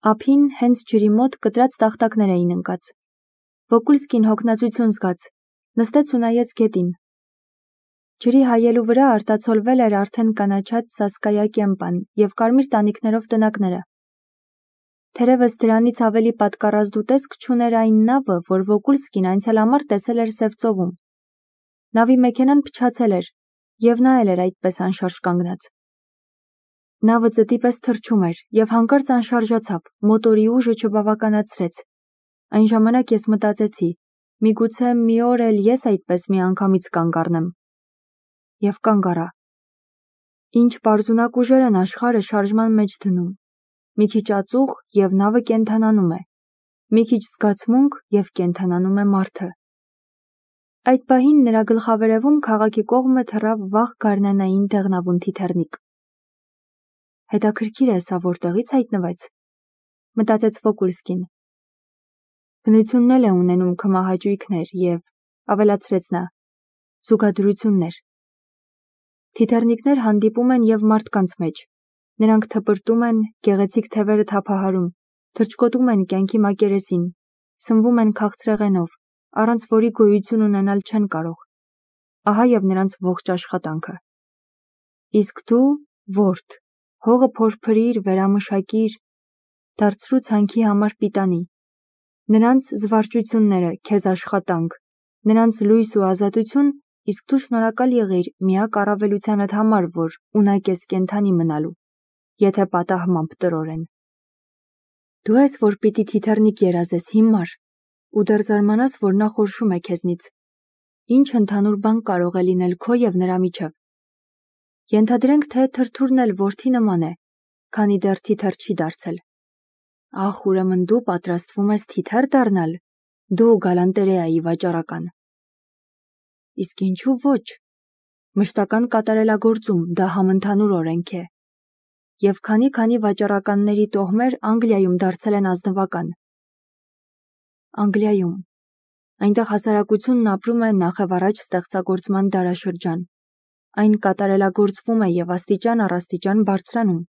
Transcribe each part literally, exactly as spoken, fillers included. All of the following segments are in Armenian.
Ափին հենց ջրի մոտ կտրած տախտակներ էին ընկած։ Վոկուլսկին հոգնածություն զգաց, նստեց ու նայեց գետին։ Ջրի հայելու վրա արտացոլվել էր արդեն կանաչած Սասկայա կեմպան և կարմիր տանիքներով տնակները։ Թերևս դրանից ավելի պատկառազդու տեսք չուներ այն նավը, որ Վոկուլսկին այնցել համար տեսել էր Սևծովում։ Նավի մեքենան փչացել էր, և նա էլ էր այդպես անշարժ կանգնած։ Նավը ծտի պես թռչում էր և հանկարծ անշարժացավ, մոտորի ուժը չբավականացրեց։ Այն ժամանակ ես մտածեցի, միգուցե մի օր էլ ես այդպես միանգամից կանգ առնեմ։ Եվ կանգ առա։ Ինչ պարզունակ ուժեր են աշխարհը շարժման մեջ դնում։ Մի քիչ ածուխ, և նավը կենդանանում է։ Մի քիչ զգացմունք, և կենդանանում է մարդը։ Այդ պահին նրա գլխավերևում քաղաքի կողմը թռավ վաղ գարնանային դեղնավուն թիթեռնիկ։ Հետաքրքիր է, սա որտեղից հայտնվեց, մտածեց Վոկուլսկին։ Բնությունն էլ է ունենում քմահաճույքներ և, ավելացրեց նա, զուգադրություններ։ Թիթեռնիկներ հանդիպում են և մարդկանց մեջ։ Նրանք թպրտում են, գեղեցիկ թևերը թափահարում, թռչկոտում են կյանքի մակերեսին, սնվում են քաղցրեղենով, առանց որի գոյություն ունենալ չեն կարող։ Ահա և նրանց ողջ աշխատանքը։ Իսկ դու, որդի, հողը փորփրիր, վերամշակիր, դարձրու ցանքի համար պիտանի։ Նրանց զվարճությունները քեզ աշխատանք, նրանց լույս ու ազատություն, իսկ դու շնորհակալ եղիր միակ առավելությանդ համար, որ ունակ ես կենդանի մնալու, եթե պատահմամբ տրորեն։ Դու ես, որ պիտի թիթեռնիկ երազես հիմար, ու դեռ զարմանաս, որ նա խորշում է քեզնից։ Ինչ ընդհանուր բան կարող է լինել քո և նրա միջև։ Ենթադրենք, թե թրթուրն էլ որդի նման է, քանի դեռ թիթեռ չի դարձել։ Ախ, ուրեմն դու պատրաստվում ես թիթեռ դառնալ, դու գալանտերեայի վաճառական։ Իսկ ինչու ոչ։ Մշտական կատարելագործում, դա համընդհանուր օրենք է։ Եվ քանի-քանի վաճառականների տոհմեր Անգլիայում դարձել են ազնվական։ Անգլիայում։ Այնտեղ հասարակությունն ապրում է նախևառաջ ստեղծագործման դարաշրջան։ Այն կատարելագործվում է և աստիճան առ աստիճան բարձրանում։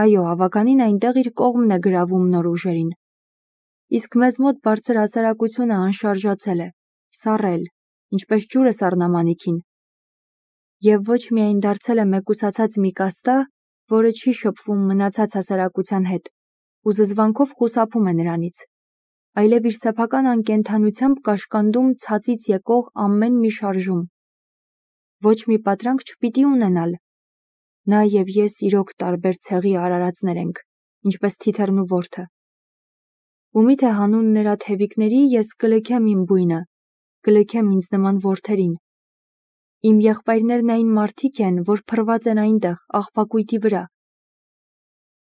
Այո, ավականին այնտեղ իր կողմն է գրավում նոր ուժերին։ Իսկ մեզ մոտ բարձր հասարակությունը անշարժացել է, սառել, ինչպես ջուրը սառնամանիքին։ Եվ ոչ միայն դարձել է մեկուսացած մի կաստա, որը չի շփվում մնացած հասարակության հետ, ու զզվանքով խուսափում է նրանից, այլև իր սեփական անկենդանությամբ կաշկանդում ցածից եկող ամեն մի շարժում։ Ոչ մի պատրանք չպիտի ունենալ։ Նա և ես իրոք տարբեր ցեղի արարածներ ենք, ինչպես թիթեռն ու որդը։ Ու միթե հանուն նրա թևիկների ես կլքեմ իմ բույնը, կլքեմ ինձ նման որդերին։ Իմ եղբայրներն այն մարդիկ են, որ փռված են այնտեղ, աղբակույտի վրա։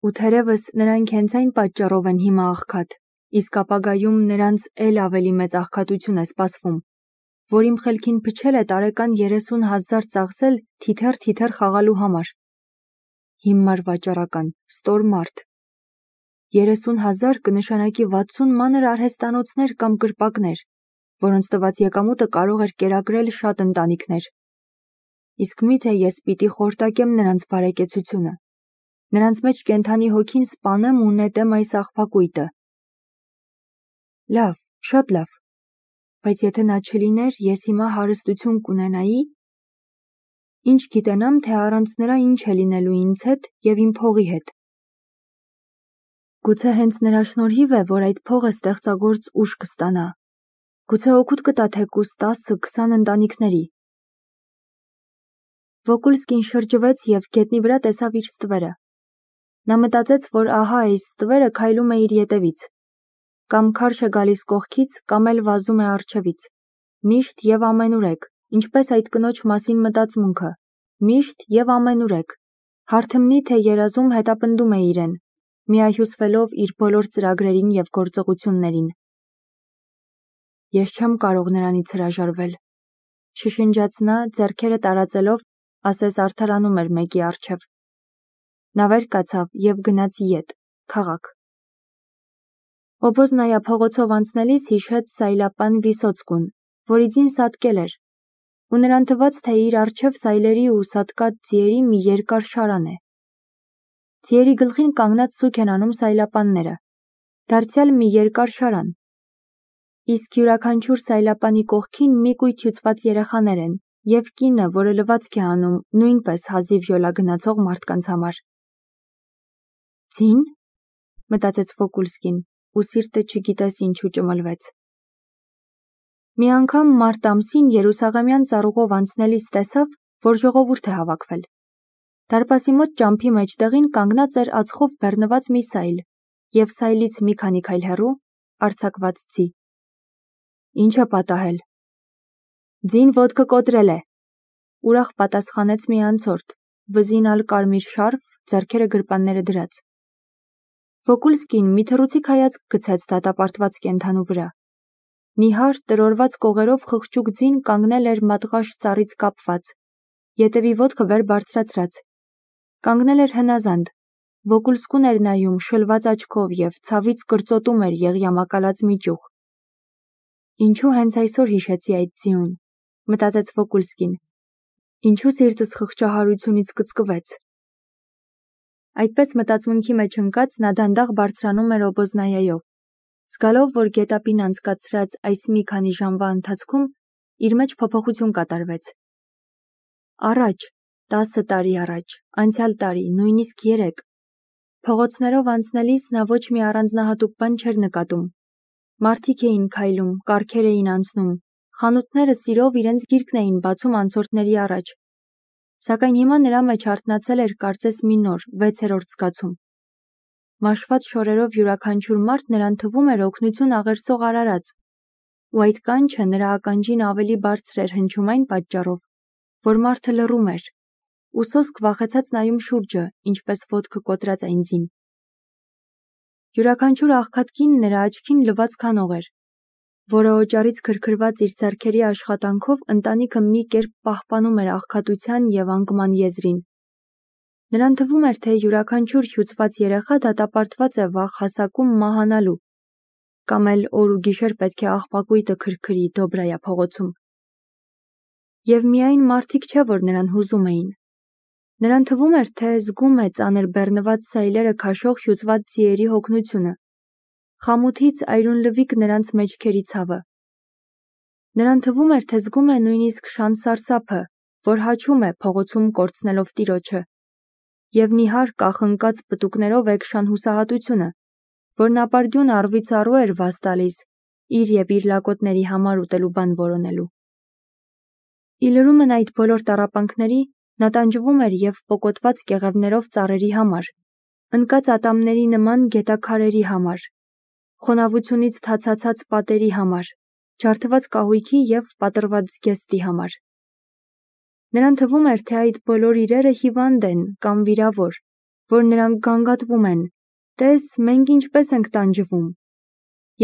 Ու թերևս նրանք հենց այն պատճառով են հիմա աղքատ, իսկ ապագայում նրանց էլ ավելի մեծ աղքատություն է սպասվում, որ իմ խելքին փչել է տարեկան երեսուն հազար ծախսել թիթեռ-թիթեռ խաղալու համար։ Հիմար վաճառական, ստոր մարդ։ Երեսուն հազար կնշանակի վաթսուն մանր արհեստանոցներ կամ կրպակներ, որոնց տված եկամուտը կարող էր կերակրել շատ ընտանիքներ։ Իսկ միթե ես պիտի խորտակեմ նրանց բարեկեցությունը, նրանց մեջ կենդանի հոգին սպանեմ ու նետեմ այս աղբակույտը։ Լավ, շատ լավ, բայց եթե նա չլիներ, ես հիմա հարստություն կունենայի։ Ինչ գիտենամ, թե առանց նրա ինչ է լինելու ինձ հետ և իմ փողի հետ։ Գուցե հենց նրա շնորհիվ է, որ այդ փողը ստեղծագործ ուժ կստանա։ Գուցե օգուտ կտա թեկուզ տասը-քսան ընտանիքների։ Վոկուլսկին շրջվեց և գետնի վրա տեսավ իր ստվերը։ Նա մտածեց, որ ահա այս ստվերը քայլում է իր ետևից։ Կամ քարշ է գալիս կողքից, կամ էլ վազում է առջևից։ Միշտ և ամենուրեք, ինչպես այդ կնոջ մասին մտածմունքը, միշտ և ամենուրեք, հարթմնի թե երազում հետապնդում է իրեն, միահյուսվելով իր բոլոր ծրագրերին և գործողություններին։ Ես չեմ կարող նրանից հրաժարվել, շշնջաց նա, ձեռքերը տարածելով, ասես արդարանում էր մեկի առջև։ Նա վեր կացավ և գնաց ետ, քաղաք։ Օբոզնայա փողոցով անցնելիս հիշեց Սայլապան Վիսոցկուն, որի ձին սատկել էր, ու նրան թվաց, թե իր առջև սայլերի ու սատկած ձիերի մի երկար շարան է։ Ձիերի գլխին կանգնած սուք են անում սայլապանները, դարձյալ մի երկար շարան։ Իսկ յուրաքանչյուր սայլապանի կողքին մի կույտ հյուծված երեխաներ են և կինը, որը լվացք է անում նույնպես հազիվ յոլա գնացող մարդկանց համար։ Ձին, մտածեց Վոկուլսկին, ու սիրտը չգիտես ինչու ճմլվեց։ Մի անգամ մարտ ամսին Երուսաղեմյան ծառուղով անցնելիս տեսավ, որ ժողովուրդ է հավաքվել։ Դարպասի մոտ ճամփի մեջտեղին կանգնած էր ածխով բեռնված մի սայլ, և սայլից մի քանի քայլ հեռու արձակված ձի։ Ինչ է պատահել։ Ձին ոտքը կոտրել է, ուրախ պատասխանեց մի անցորդ, վզին ալ կարմիր շարֆ, ձեռքերը գրպանները դրած։ Վոկուլսկին մի թռուցիկ հայացք գցեց դատապարտված կենդանու վրա։ Նիհար տրորված կողերով խղճուկ ձին կանգնել էր մատղաշ ծառից կապված, ետևի ոտքը վեր բարձրացրած։ Կանգնել էր հնազանդ, Վոկուլսկուն էր նայում շլված աչքով և ցավից կրծոտում էր եղյամակալած մի ճյուղ։ Ինչու հենց այսօր հիշեցի այդ ձիուն, մտածեց Վոկուլսկին։ Ինչու սիրտս խղճահարությունից կծկվեց։ Այդպես մտածմունքի մեջ ընկած նա դանդաղ բարձրանում էր օբոզնայայով, զգալով, որ գետափին անցկացրած այս մի քանի ժամվա ընթացքում իր մեջ փոփոխություն կատարվեց։ Առաջ, տասը տարի առաջ, անցյալ տարի, նույնիսկ երեք, փողոցներով անցնելիս նա ոչ մի առանձնահատուկ բան չէր նկատում։ Մարդիկ էին քայլում, կառքեր էին անցնում, խանութները սիրով իրենց գիրկն էին բացում անցորդների առաջ։ Սակայն հիմա նրա մեջ արթնացել էր կարծես մի նոր, վեցերորդ զգացում։ Մաշված շորերով յուրաքանչյուր մարդ նրան թվում էր օգնություն աղերսող արարած, ու այդ կանչը նրա ականջին ավելի բարձր էր հնչում այն պատճառով, որ մարդը լռում էր, ու սոսկ վախեցած նայում շուրջը, ինչպես ոտքը կոտրած այն ձին։ Յուրաքանչյուր աղքատ կին նրա աչքին լվացք անող էր, որը օճառից քրքրված իր ձեռքերի աշխատանքով ընտանիքը մի կերպ պահպանում էր աղքատության և անկման եզրին։ Նրան թվում էր, թե յուրաքանչյուր հյուծված երեխա դատապարտված է վաղ հասակում մահանալու, կամ էլ օր ու գիշեր պետք է աղբակույտը քրքրի Դոբրայա փողոցում։ Եվ միայն մարդիկ չէ, որ նրան հուզում էին։ Նրան թվում էր, թե զգում է ծանր բեռնված սայլերը քաշող հյուծված ձիերի հոգնությունը, խամութից այրունլվիկ նրանց մեջքերի ցավը։ Նրան թվում էր, թե զգում է նույնիսկ շան սարսափը, որ հաչում է փողոցում կորցնելով տիրոջը, և նիհար կախնկած պտուկներով էգշան հուսահատությունը, որ ապարդյուն առվից առու էր վազ տալիս իր և իր լակոտների համար ուտելու բան որոնելու։ Ի լրումն այդ բոլոր տառապանքների նա տանջվում էր և պոկոտված կեղևներով ծառերի համար, ընկած ատամների նման գետաքարերի համար, խոնավությունից թացացած պատերի համար, ջարդված կահույքի և պատռված զգեստի համար։ Նրան թվում էր, թե այդ բոլոր իրերը հիվանդ են կամ վիրավոր, որ նրանք գանգատվում են, տես, մենք ինչպես ենք տանջվում,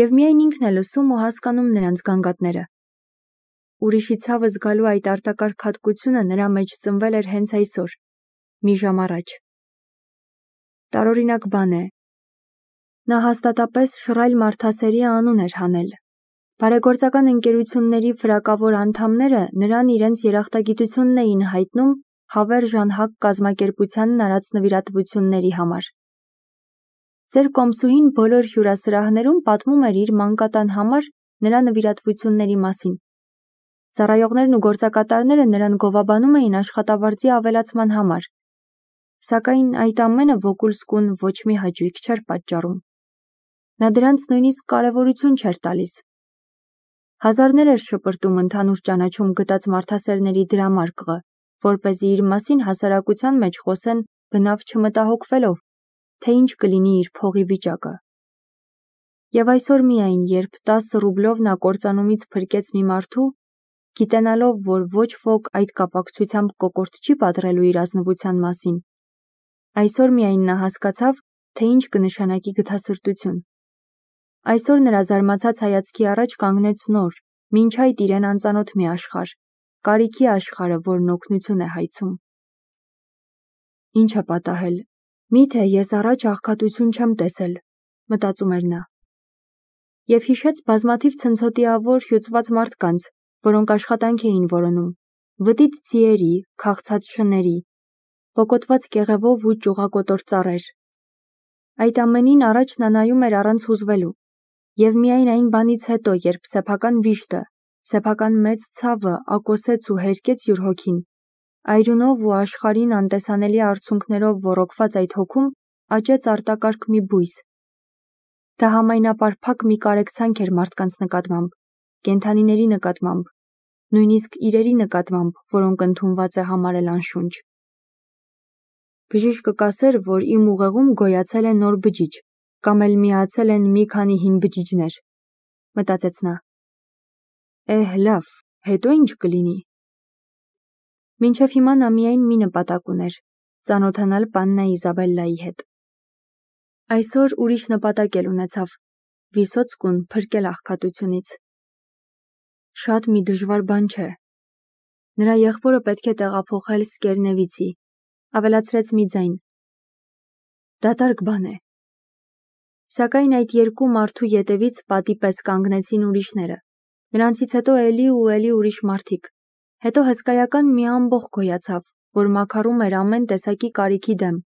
և միայն ինքն է լսում ու հասկանում նրանց գանգատները։ Ուրիշի ցավը զգալու այդ արտակարգ հատկությունը նրա մեջ ծնվել էր հենց այսօր, մի ժամ առաջ։ Տարօրինակ բան է։ Նա հաստատապես շռայլ մարդասերի անուն էր հանել։ Բարեգործական ընկերությունների վրակավոր անդամները նրան իրենց երախտագիտությունն էին հայտնում հավերժ անհակ կազմակերպությանն արած նվիրատվությունների համար։ Ձեր կոմսուհին բոլոր հյուրասրահներում պատմում էր իր մանկատան համար նրա նվիրատվությունների մասին։ Ծառայողներն ու գործակատարները նրան գովաբանում էին աշխատավարձի ավելացման համար, սակայն այդ ամենը Վոկուլսկուն ոչ մի հաճույք չէր պատճառում։ Նա դրանց նույնիսկ կարևորություն չէր տալիս։ Հազարներ էր շպրտում ընդհանուր ճանաչում գտած մարդասերների դրամարկղը, որպեսզի իր մասին հասարակության մեջ խոսեն բնավ չմտահոգվելով, թե ինչ կլինի իր փողի վիճակը։ Եվ այսօր միայն, երբ տասը ռուբլով նա կործանումից փրկեց մի մարդու, գիտենալով, որ ոչ ոք այդ կապակցությամբ կոկորդ չի պատռելու իր ազնվության մասին, այսօր միայն նա հասկացավ, թե ինչ կնշանակի գթասրտություն։ Այսօր նրա զարմացած հայացքի առաջ կանգնեց նոր, մինչ այդ իրեն անծանոթ մի աշխարհ, կարիքի աշխարհը, որն օգնություն է հայցում։ Ինչ է պատահել։ Միթե ես առաջ աղքատություն չեմ տեսել, մտածում էր նա։ Եվ հիշեց բազմաթիվ ցնցոտիավոր հյուծված մարդկանց, որոնք աշխատանք էին որոնում, վտիտ ձիերի, քաղցած շների, պոկոտված կեղևով ու ճյուղակոտոր ծառեր։ Այդ ամենին առաջ նա նայում էր առանց հուզվելու, և միայն այն բանից հետո, երբ սեփական վիշտը, սեփական մեծ ցավը ակոսեց ու հերկեց յուր հոգին, այրունով ու աշխարհին անտեսանելի արցունքներով ոռոգված այդ հոգում աճեց արտակարգ մի բույս։ Դա համայնապարփակ մի կարեկցանք էր մարդկանց նկատմամբ, կենդանիների նկատմամբ, նույնիսկ իրերի նկատմամբ, որոնք ընդունված է համարել անշունչ։ Բժիշկը կասեր, որ իմ ուղեղում գոյացել է նոր բջիջ, կամ էլ միացել են մի քանի հին բջիջներ, մտածեց նա։ Էհ, լավ, հետո ինչ կլինի։ Մինչև հիմա նա միայն մի նպատակ ուներ՝ ծանոթանալ պաննա Իզաբելլայի հետ։ Այսօր ուրիշ նպատակ էլ ունեցավ՝ Վիսոցկուն փրկել աղքատությունից։ Շատ մի դժվար բան չէ։ Նրա եղբորը պետք է տեղափոխել Սկերնևիցի, ավելացրեց մի ձայն։ Դատարկ բան է։ Սակայն այդ երկու մարդու ետևից պատի պես կանգնեցին ուրիշները, նրանցից հետո էլի ու էլի ուրիշ մարդիկ, հետո հսկայական մի ամբոխ գոյացավ, որ մաքարում էր ամեն տեսակի կարիքի դեմ,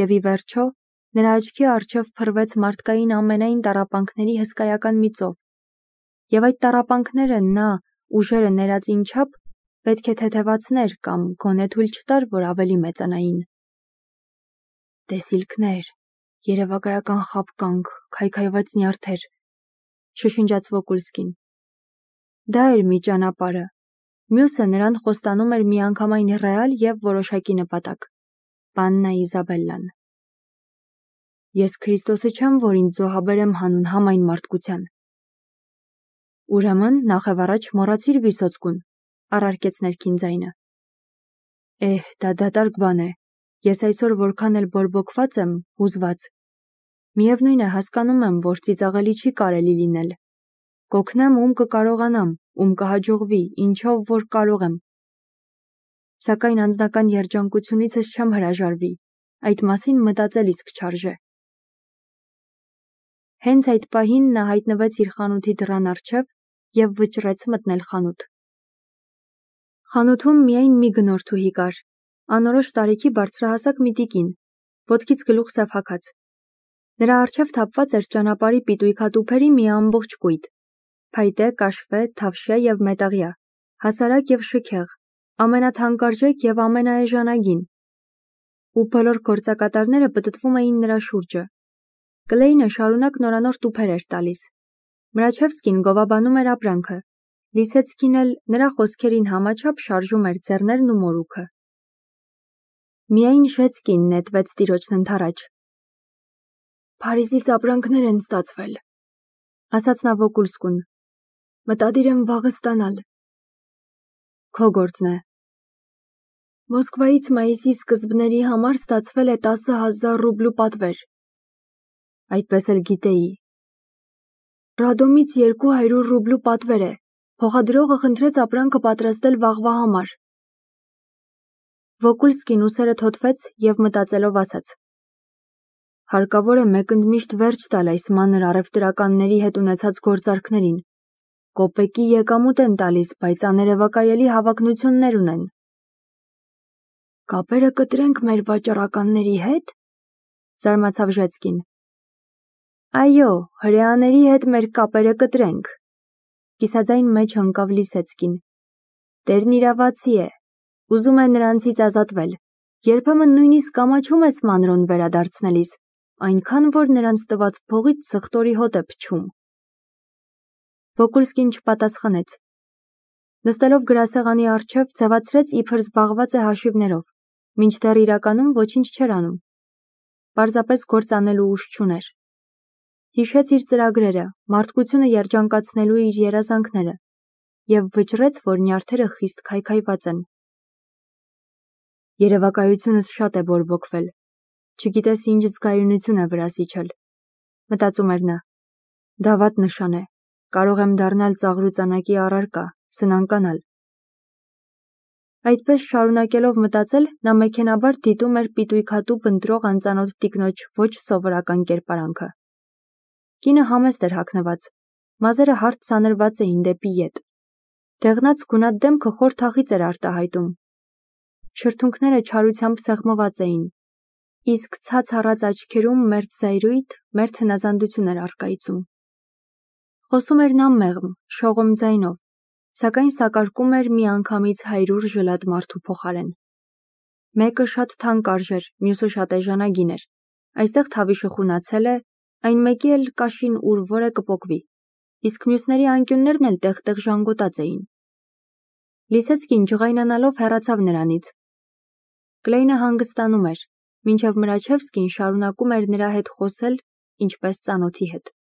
և ի վերջո նրա աչքի առջև փռվեց մարդկային ամենայն տառապանքների հսկայական մի ծով, և այդ տառապանքները նա, ուժերը ներածին չափ, պետք է թեթևացներ կամ գոնե թույլ չտար, որ ավելի մեծանային։ Տեսիլքներ, երևակայական խաբկանք, քայքայված նյարդեր, շշնջաց Վոկուլսկին։ Դա էր մի ճանապարհը, մյուսը նրան խոստանում էր միանգամայն ռեալ և որոշակի նպատակ՝ պաննա Իզաբելլան։ Ես Քրիստոսը չեմ, որ ինձ զոհաբերեմ հանուն համայն մարդկության։ Ուրեմն նախևառաջ մոռացիր Վիսոցկուն, առարկեց ներքին ձայնը։ Էհ, դա դատարկ բան է, ես այսօր որքան էլ բորբոքված եմ, հուզված։ Միևնույն է, հասկանում եմ, որ ծիծաղելի չի կարելի լինել։ Կօգնեմ, ում կկարողանամ, ում կհաջողվի, ինչով որ կարող եմ։ Սակայն անձնական երջանկությունիցս չեմ հրաժարվի, այդ մասին մտածել իսկ չարժե։ Հենց այդ պահին նա հայտնվեց իր խանութի դռան առջև և վճռեց մտնել խանութ։ Խանութում միայն մի գնորդուհի կար, անորոշ տարիքի բարձրահասակ մի տիկին, ոտքից գլուխ սեփակած։ Նրա առջև թափված էր ճանապարհի պիտույքատուփերի մի ամբողջ կույտ, փայտե, կաշվե, թավշյա և մետաղյա, հասարակ և շքեղ, ամենաթանկարժեք և ամենաէժանագին, ու բոլոր գործակատարները պտտվում էին նրա շուրջը։ Կլեյնը շարունակ նորանոր տուփեր էր տալիս։ Մրաչևսկին գովաբանում էր ապրանքը, Լիսեցկին էլ նրա խոսքերին համաչափ շարժում էր ձեռներն ու մորուքը։ Միայն Շեցկին նետվեց տիրոջն ընդառաջ։ Փարիզից ապրանքներ են ստացվել, ասաց նա Վոկուլսկուն։ Մտադիր եմ վաղը ստանալ։ Քո գործն է։ Մոսկվայից մայիսի սկզբների համար ստացվել է տասը հազար ռուբլու պատվեր։ Այդպես էլ գիտեի։ Ռադոմից երկու հարյուր ռուբլու պատվեր է, փոխադրողը խնդրեց ապրանքը պատրաստել վաղվա համար։ Վոկուլսկին ուսերը թոթվեց և մտածելով ասաց. Հարկավոր է մեկընդմիշտ վերջ տալ այս մանր առևտրականների հետ ունեցած գործարքներին։ Կոպեկի եկամուտ են տալիս, բայց աներևակայելի հավակնություններ ունեն։ Կապերը կտրենք մեր վաճառականների հետ, զարմացավ Ժեցկին։ Այո, հրեաների հետ մեր կապերը կտրենք, կիսաձայն մեջ ընկավ Լիսեցկին։ Տերն իրավացի է, ուզում է նրանցից ազատվել, երբեմն նույնիսկ ամաչում է մանրոն վերադարձնելիս, այնքան, որ նրանց տված փողից սխտորի հոտ է փչում։ Վոկուլսկին չպատասխանեց։ Նստելով գրասեղանի առջև ձևացրեց, իբր զբաղված է հաշիվներով, մինչդեռ իրականում ոչինչ չէր անում։ Պարզապես գործ անելու ուժ չուներ։ Հիշեց իր ծրագրերը, մարդկությունը երջանկացնելու իր երազանքները և վճռեց, որ նյարդերը խիստ քայքայված են։ Երևակայությունս շատ է բորբոքվել, չգիտես ինչ զգայունություն է վրաս իջել, մտածում էր նա։ Դա վատ նշան է, կարող եմ դառնալ ծաղրուծանակի առարկա, սնանկանալ։ Այդպես շարունակելով մտածել, նա մեքենաբար դիտում էր պիտույքատուփ ընտրող անծանոթ տիկնոջ ոչ սովորական կերպարանքը։ Կինը համեստ էր հագնված, մազերը հարթ սանրված էին դեպի ետ։ Դեղնած գունատ դեմքը խոր թախիծ էր արտահայտում։ Շրթունքները չարությամբ սեղմված էին, իսկ ցած առած աչքերում մերթ զայրույթ, մերթ հնազանդություն էր առկայծում։ Խոսում էր նա մեղմ, շողոմ ձայնով, սակայն սակարկում էր միանգամից հայրուր ժլատ մարդու փոխարեն։ Մեկը շատ թանկ արժեր, մյուսը շատ էժանագին էր։ Այստեղ Թավիշը խունացել է, այն մեկի էլ կաշին ուր որը կպոկվի, իսկ մյուսների անկյուններն էլ տեղ-տեղ ժանգոտած էին։ Լիսեցկին ջղայնանալով հեռացավ նրանից։ Կլեյնը հանգստանում էր, մինչև Մրաչևսկին շարունակում էր նրա հետ խոսել, ինչպես ծանոթի հետ։